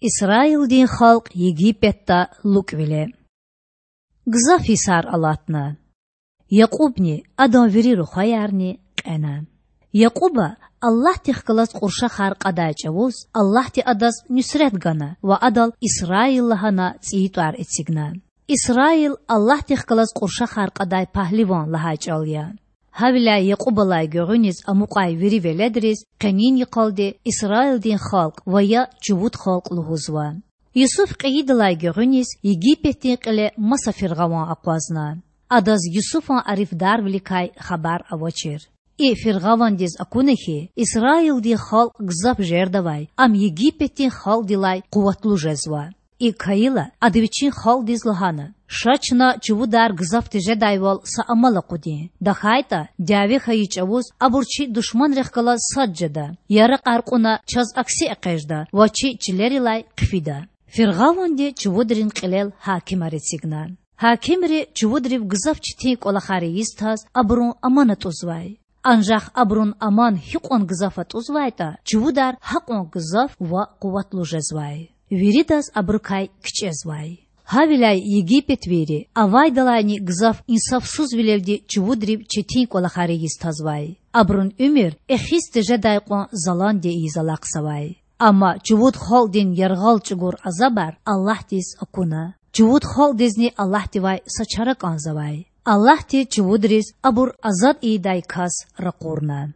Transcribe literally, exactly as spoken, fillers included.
Исраилдин халкь Египетда лукІвиле Гзаф йисар алатна. Якьубни, адан вири рухваярни кьена. Якьуба Аллагьдихъ галаз кьуршахар кьадай чІавуз Аллагьди адаз нуьсрет гана ва адал Исраил лагьана цІийи тІвар эцигна. Исраил Аллагьдихъ галаз кьуршахар кьадай пагьливан лагьай чІал я. Гьавиляй Якьубалай гуьгъуьниз амукьай вири веледриз къенин йикъалди Исраилдин халкь ва я чувуд халкь лугьузва. Юсуф кьейидалай гуьгъуьниз Египетдин кьиле маса фиргъаван акъвазна. Адаз Юсуфан арифдарвиликай хабар авачир. И фиргъавандиз акуна хьи, Исраилдин халкь гзаф жердавай, ам Египетдин халкьдилай къуватлу жезва. ИкІ хьайила, ада вичин халкьдиз лагьана: Ша чна чувудар гзаф тежедайвал са амал акъудин. ТахьайтІа, дяве хьайи чІавуз абур чи душманрихъ галаз сад жеда, яракьар кьуна чаз акси экъечІда ва чи чилерилай хъфида. Фиргъаванди чувудрин кьилел гьакимар эцигна. Гьакимри чувудрив гзаф четин кІвалахар ийиз таз абурун аман атІузвай. Анжах абурун аман гьикьван гзаф атІузвайтІа, чувудар гьакьван гзаф ва къуватлу жезвай. Виридаз абурукай кичІезвай. Гьавиляй египетвийри авайдалайни гзаф инсафсузвилелди чувудрив четин кІвалахар ийиз тазвай. Абурун уьмуьр эхиз тежедай кьван заланди ийиз алахъзавай. Амма чувуд халкьдин яргъал чІугур азабар Аллагьдиз акуна. Чувуд халкьдизни Аллагьдивай са чара кІанзавай. Аллагьди чувудриз абур азад ийидай кас ракъурна.